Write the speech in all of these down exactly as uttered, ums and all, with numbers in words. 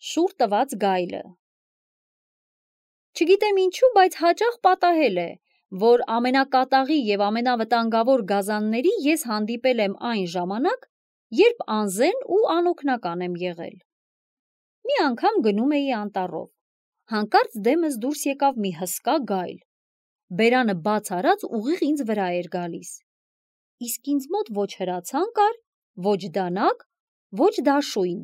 Շուռ տված գայլը։ Չգիտեմ ինչու, բայց հաճախ պատահել է, որ ամենակատաղի և ամենավտանգավոր գազանների ես հանդիպել եմ այն ժամանակ, երբ անզեն ու անօգնական եմ եղել։ Մի անգամ գնում էի անտառով, հանկարծ դեմս դուրս եկավ մի հսկա գայլ, բերանը բաց արած ուղիղ ինձ վրա էր գալիս, իսկ ինձ մոտ ոչ հրացան կար, ոչ դանակ, ոչ դաշույն։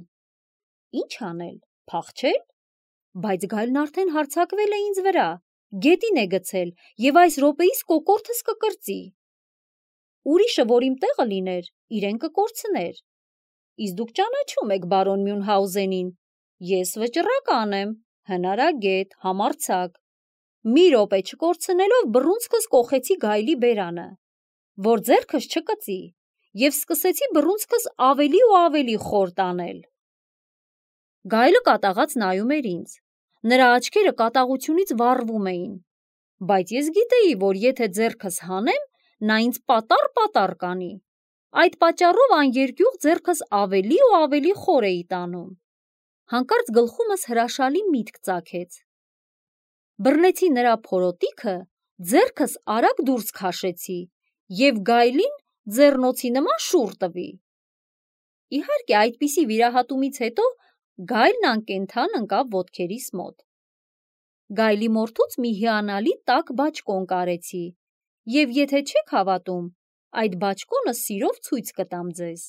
Ինչ անել, փախչե՞լ, բայց գայլն արդեն հարձակվել է ինձ վրա, գետին է գցել և այս րոպեիս կոկորդս կկրծի։ Ուրիշը, որ իմ տեղը լիներ, իրեն կկորցներ։ Իսկ դուք ճանաչում եք բարոն Մյունհաուզենին, ես վճռական եմ, հնարագետ, համարձակ։ Մի րոպե չկորցնելով բռունցքս կոխեցի գայլի բերանը, որ ձեռքս չկծի, և սկսեցի բռունցքս ավելի ու ավելի խոր տանել։ Գայլը կատաղած նայում էր ինձ, նրա աչքերը կատաղությունից վառվում էին, բայց ես գիտեի, որ եթե ձեռքս հանեմ, նա ինձ պատառ-պատառ կանի, այդ պատճառով աներկյուղ ձեռքս ավելի ու ավելի խոր էի տանում։ Հանկարծ գլխումս հրաշալի միտք ծագեց։ Բռնեցի նրա փորոտիքը, ձեռքս արագ դուրս քաշեցի և գայլին ձեռնոցի նման շուռ տվի։ Իհարկե, այդպիսի վիրահատումից հետո գայլն անկենդան ընկավ ոտքերիս մոտ։ Գայլի մորթուց մի հիանալի տաք բաճկոն կարեցի և եթե չեք հավատում, այդ բաճկոնը սիրով ցույց կտամ ձեզ։